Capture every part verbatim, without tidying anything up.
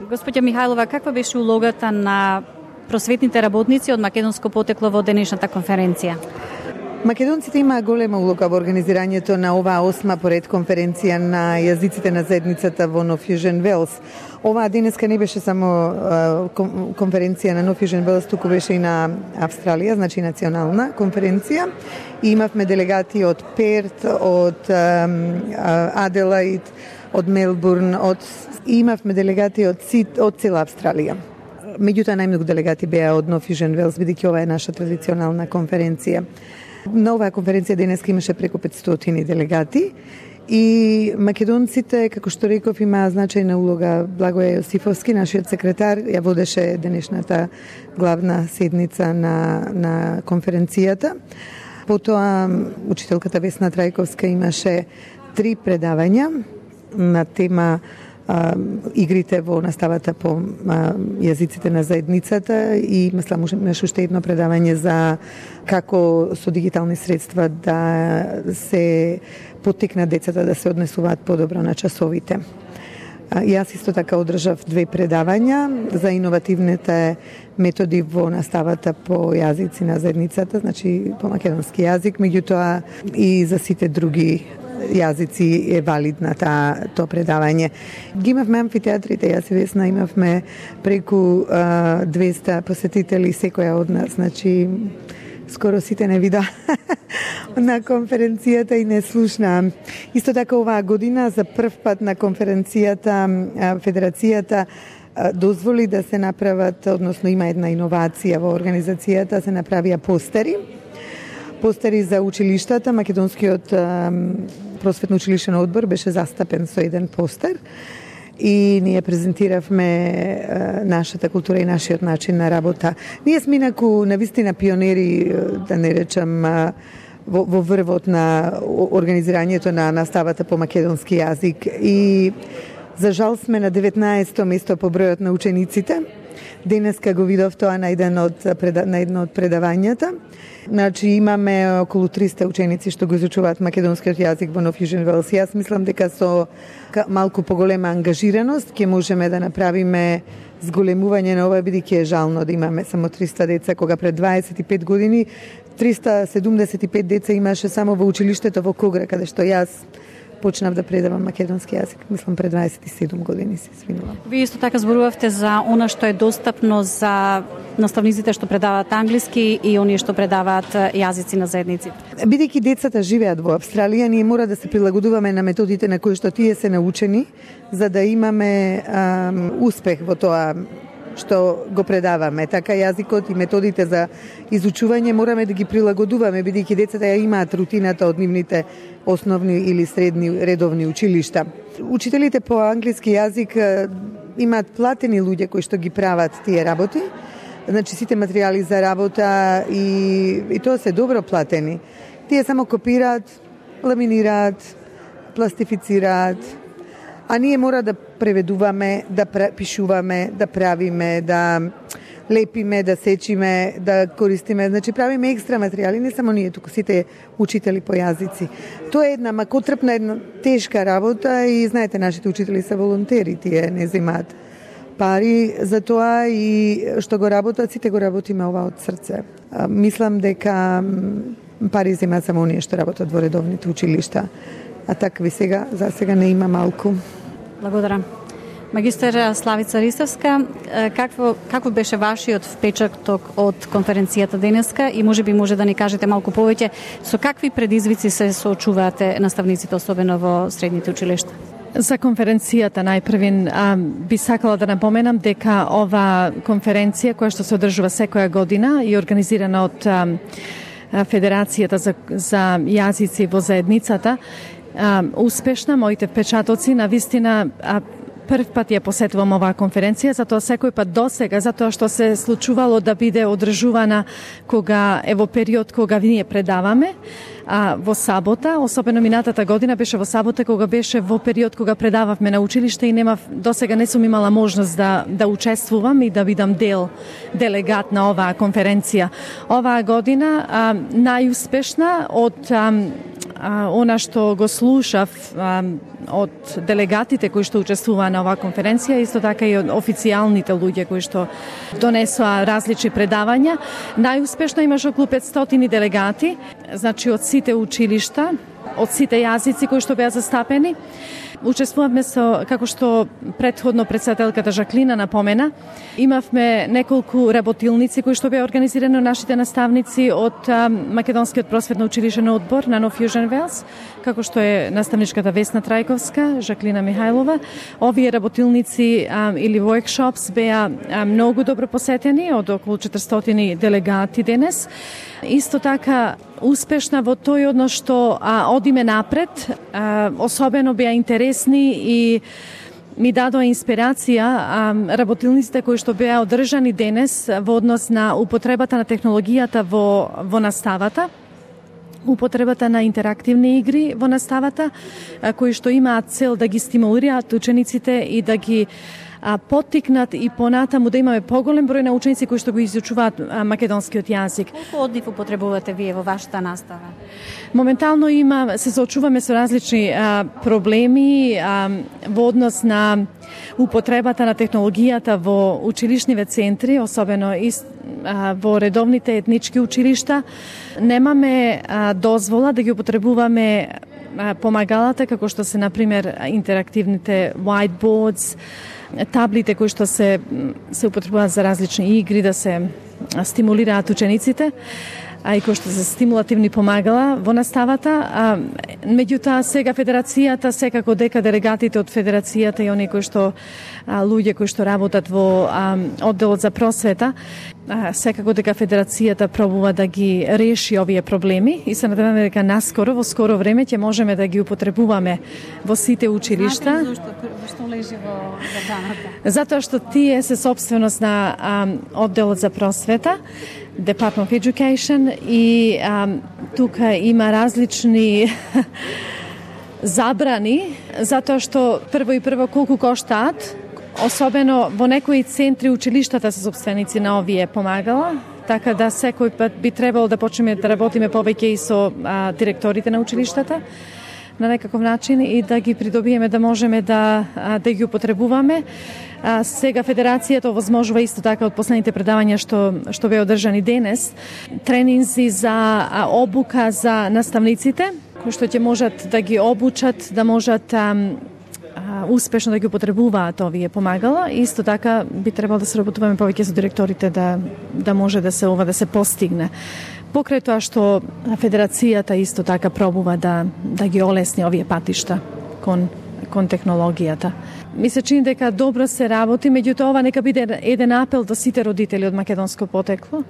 Господја Михајлова, каква беше улогата на просветните работници од македонско потекло во денешната конференција? Македонците имаа голема улога во организирањето на оваа осма поред конференција на јазиците на заедницата во No Fusion Wales. Оваа денеска не беше само конференција на No Fusion Wales, туку беше и на Австралија, значи национална конференција. И имавме делегати од Перт, од Аделаид, од Мелбурн, од и имавме делегати од Сид, од цела Австралија. Меѓутоа најмногу делегати беа од No Fusion Wales, бидејќи ова е наша традиционална конференција. На оваа конференција денеска имаше преку петстотини делегати и македонците, како што реков, имаа значајна улога. Благоја Јосифовски, нашиот секретар, ја водеше денешната главна седница на, на конференцијата. Потоа учителката Весна Трајковска имаше три предавања на тема а, игрите во наставата по а, јазиците на заедницата и мислам имаше уште едно предавање за како со дигитални средства да се поттикнат децата да се однесуваат подобро на часовите. А, јас исто така одржав две предавања за иновативните методи во наставата по јазици на заедницата, значи по македонски јазик, меѓутоа и за сите други јазици е валидна таа тоа предавање. Ги имавме амфитеатрите, јас и Весна имавме преку а, двеста посетители секоја од нас, значи скоро сите не вида на конференцијата и не слушна. Исто така оваа година за прв пат на конференцијата Федерацијата дозволи да се направат, односно има една иновација во организацијата, се направија постери. Постери за училиштата, македонскиот просветно училишен одбор беше застапен со еден постер и ние презентиравме нашата култура и нашиот начин на работа. Ние сме инаку навистина пионери, да не речам, во, во врвот на организирањето на наставата по македонски јазик и за жал сме на деветнаесто место по бројот на учениците. Денеска го видов тоа на еден од на едно од предавањата. Значи имаме околу триста ученици што го изучуваат македонскиот јазик во No Fusion Wales. Јас мислам дека со малку поголема ангажираност ќе можеме да направиме зголемување на ова, бидејќи е жално да имаме само триста деца, кога пред дваесет и пет години триста седумдесет и пет деца имаше само во училиштето во Когра, каде што јас почнав да предавам македонски јазик, мислам пред дваесет и седум години, се извинувам. Вие исто така зборувавте за она што е достапно за наставниците што предаваат англиски и оние што предаваат јазици на заедниците. Бидејќи децата живеат во Австралија, ние мора да се прилагодуваме на методите на кои што тие се научени, за да имаме ам, успех во тоа што го предаваме. Така јазикот и методите за изучување мораме да ги прилагодуваме, бидејќи децата ја имаат рутината од нивните основни или средни редовни училишта. Учителите по англиски јазик имаат платени луѓе кои што ги прават тие работи, значи сите материјали за работа и, и тоа се добро платени. Тие само копираат, ламинираат, пластифицираат, а ние мора да преведуваме, да пишуваме, да правиме, да лепиме, да сечиме, да користиме. Значи правиме екстра материјали, не само ние, туку сите учители по јазици. Тоа е една макотрпна, една тешка работа и знаете, нашите учители се волонтери, тие не земаат пари за тоа и што го работат, сите го работиме ова од срце. Мислам дека пари земаат само оние што работат во редовните училишта. А такви сега, за сега не има малку. Благодарам. Магистер Славица Ристевска, какво, какво беше вашиот впечаток од конференцијата денеска и може би може да ни кажете малку повеќе со какви предизвици се соочуваате наставниците, особено во средните училишта? За конференцијата најпрвин би сакала да напоменам дека ова конференција која што се одржува секоја година и организирана од а, Федерацијата за, за јазици во заедницата, а, успешна, моите впечатоци на вистина а, прв пат ја посетувам оваа конференција, затоа секој пат досега, затоа што се случувало да биде одржувана кога е во период кога ние предаваме, а во сабота, особено минатата година беше во сабота кога беше во период кога предававме на училиште и немав, досега не сум имала можност да да учествувам и да бидам дел делегат на оваа конференција. Оваа година а, најуспешна од а, а, она што го слушав а, од делегатите кои што учествуваа на оваа конференција, исто така и од официјалните луѓе кои што донесоа различни предавања, најуспешно имаше околу петстотини делегати, значи од сите училишта, од сите јазици кои што беа застапени. Учествувавме со, како што претходно председателката Жаклина напомена, имавме неколку работилници кои што беа организирани од нашите наставници од а, Македонскиот просветно училишен одбор на No Fusion Wales, како што е наставничката Весна Трајковска, Жаклина Михајлова. Овие работилници а, или workshops беа а, многу добро посетени од околу четиристотини делегати денес. Исто така успешна во тој однос што а, одиме напред, а, особено беа интересни и ми дадоа инспирација а, работилниците кои што беа одржани денес во однос на употребата на технологијата во, во наставата, употребата на интерактивни игри во наставата, а, кои што имаат цел да ги стимулираат учениците и да ги а, поттикнат и понатаму да имаме поголем број на ученици кои што го изучуваат а, македонскиот јазик. Колку однив употребувате вие во вашата настава? Моментално има, се соочуваме со различни а, проблеми а, во однос на употребата на технологијата во училишниве центри, особено и а, во редовните етнички училишта. Немаме а, дозвола да ги употребуваме а, помагалата, како што се, например, интерактивните whiteboards, таблите кои што се се употребуваат за различни игри, да се стимулираат учениците, а и кои што се стимулативни помагала во наставата. А, меѓутоа, сега Федерацијата, секако дека делегатите од Федерацијата и оние кои што а, луѓе кои што работат во а, одделот за просвета, а, секако дека Федерацијата пробува да ги реши овие проблеми и се надеваме дека наскоро, во скоро време ќе можеме да ги употребуваме во сите училишта. Знаете зашто, што лежи во забраната? Затоа што тие се собственост на а, одделот за просвета, Department of Education, и а, тука има различни забрани, затоа што прво и прво колку коштаат, особено во некои центри училиштата се собственици на овие помагала, така да секој пат би требало да почнеме да работиме повеќе и со а, директорите на училиштата на некаков начин и да ги придобиеме да можеме да, да ги употребуваме. А, сега Федерацијата овозможува исто така од последните предавања што, што бе одржани денес, тренинзи за а, обука за наставниците, кои што ќе можат да ги обучат, да можат а, а, успешно да ги употребуваат овие помагала. Исто така би требало да се работуваме повеќе со директорите да, да може да се ова да се постигне. Покрај тоа што Федерацијата исто така пробува да, да ги олесни овие патишта кон, кон технологијата. Ми се чини дека добро се работи, меѓутоа ова нека биде еден апел до сите родители од македонско потекло,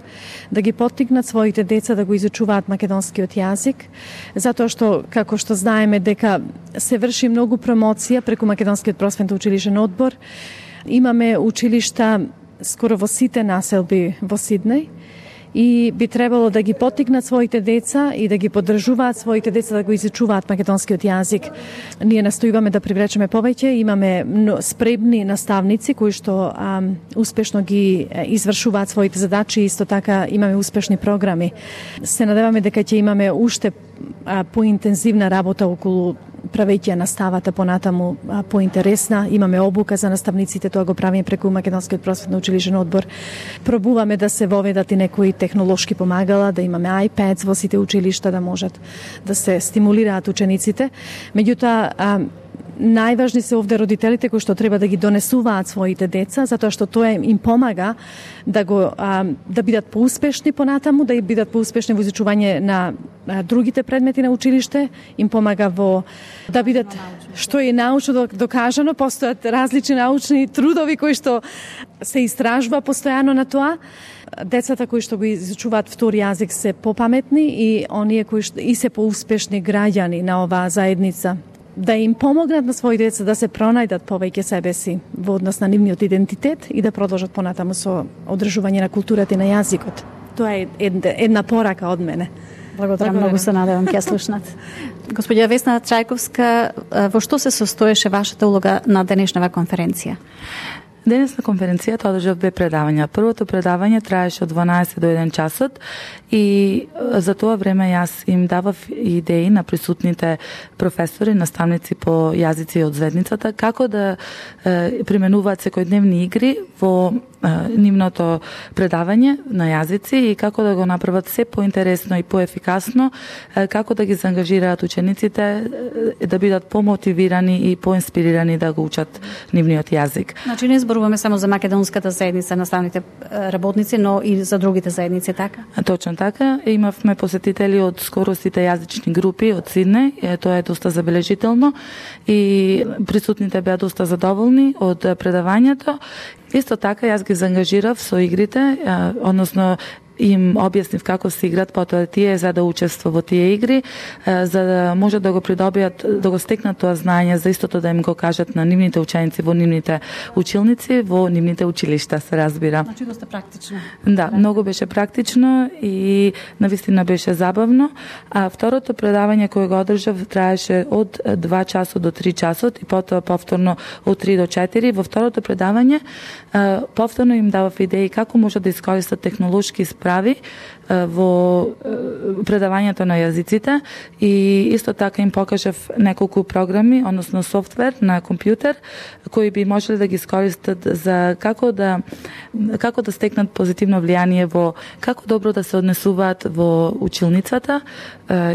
да ги поттикнат своите деца да го изучуваат македонскиот јазик, затоа што, како што знаеме, дека се врши многу промоција преку Македонскиот просветно училишен одбор. Имаме училишта скоро во сите населби во Сиднеј, и би требало да ги поттикнат своите деца и да ги поддржуваат своите деца да го изучуваат македонскиот јазик. Ние настојуваме да привлечеме повеќе, имаме спремни наставници кои што а, успешно ги извршуваат своите задачи, исто така имаме успешни програми. Се надеваме дека ќе имаме уште а, поинтензивна работа околу правејќи наставата понатаму поинтересна. Имаме обука за наставниците, тоа го правиме преку Македонскиот просветно училишен одбор. Пробуваме да се воведат и некои технолошки помагала, да имаме iPads во сите училишта, да можат да се стимулираат учениците. Меѓутоа, најважни се овде родителите кои што треба да ги донесуваат своите деца, затоа што тоа им помага да го а, да бидат поуспешни понатаму, да бидат поуспешни во изучување на а, другите предмети на училиште, им помага во да бидат што е научно докажано, постојат различни научни трудови кои што се истражува постојано на тоа. Децата кои што го изучуваат втори јазик се попаметни и оние кои што и се поуспешни граѓани на оваа заедница, да им помогнат на своите деца да се пронајдат повеќе себе си во однос на нивниот идентитет и да продолжат понатаму со одржување на културата и на јазикот. Тоа е една порака од мене. Благодарам, многу се надевам ќе слушнат. Господја Весна Трајковска, во што се состоеше вашата улога на денешнава конференција? Денес на конференцијата одржав две предавања. Првото предавање траеше од дванаесет до еден часот и за тоа време јас им давав идеи на присутните професори, наставници по јазици од заедницата, како да е, применуваат секојдневни игри во е, нивното предавање на јазици и како да го направат се поинтересно и поефикасно, е, како да ги заангажираат учениците е, да бидат помотивирани и поинспирирани да го учат нивниот јазик. Значи не зборуваме само за македонската заедница, наставните работници, но и за другите заедници, така? Точно така. Имавме посетители од скоро сите јазични групи од Сиднеј. Тоа е доста забележително и присутните беа доста задоволни од предавањето. Исто така јас ги заангажирав со игрите, односно им објаснив како се играт, потоа тие за да учествува во тие игри, за да може да го придобијат, да го стекнат тоа знаење, за истото да им го кажат на нивните ученици во нивните училници, во нивните училишта, се разбира. Значи доста практично. Да, многу беше практично и навистина беше забавно. А второто предавање кое го одржав траеше од два часот до три часот и потоа повторно од три до четири. Во второто предавање повторно им давав идеи како може да искористат технолошки справи во предавањето на јазиците и исто така им покажав неколку програми, односно софтвер на компјутер кои би можеле да ги искористат за како да како да стекнат позитивно влијание во како добро да се однесуваат во училницата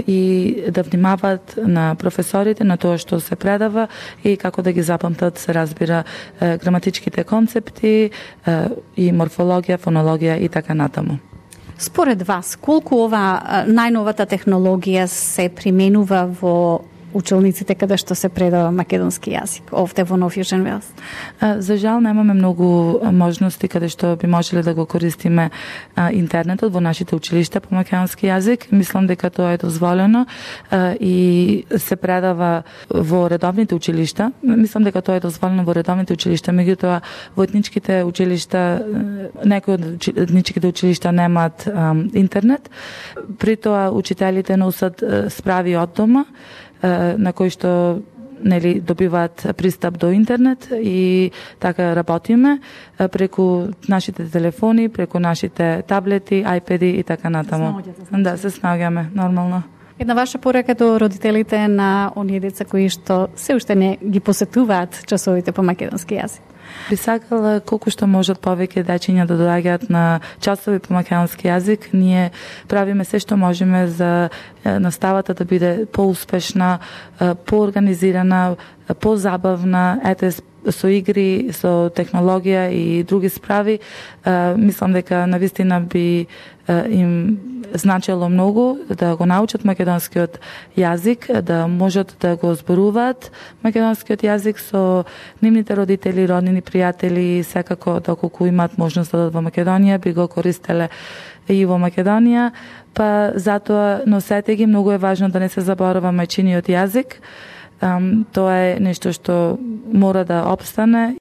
и да внимаваат на професорите, на тоа што се предава и како да ги запамтат, се разбира, граматичките концепти и морфологија, фонологија и така натаму. Според вас, колку ова најновата технологија се применува во училниците каде што се предава македонски јазик овде во Нов Јужен Велс? За жал немаме многу можности каде што би можеле да го користиме интернетот во нашите училишта по македонски јазик. Мислам дека тоа е дозволено и се предава во редовните училишта. Мислам дека тоа е дозволено во редовните училишта, меѓутоа во етничките училишта, некои од етничките училишта немаат интернет. При тоа учителите носат справи од дома на кои што нели добиваат пристап до интернет и така работиме преку нашите телефони, преку нашите таблети, ајпеди и така натаму. Да, се снаѓаме нормално. Една ваша порака до родителите на оние деца кои што се уште не ги посетуваат часовите по македонски јазик? Би сакала колку што можат повеќе дечиња да доаѓаат на часови по македонски јазик. Ние правиме се што можеме за наставата да биде поуспешна, поорганизирана, позабавна, ете со игри, со технологија и други справи. Мислам дека навистина би им значело многу да го научат македонскиот јазик, да можат да го зборуваат македонскиот јазик со нивните родители, роднини, пријатели, секако доколку имаат можност да одат во Македонија, би го користеле и во Македонија, па затоа носете ги, многу е важно да не се заборава мајчиниот јазик. Тоа е нешто што мора да опстане.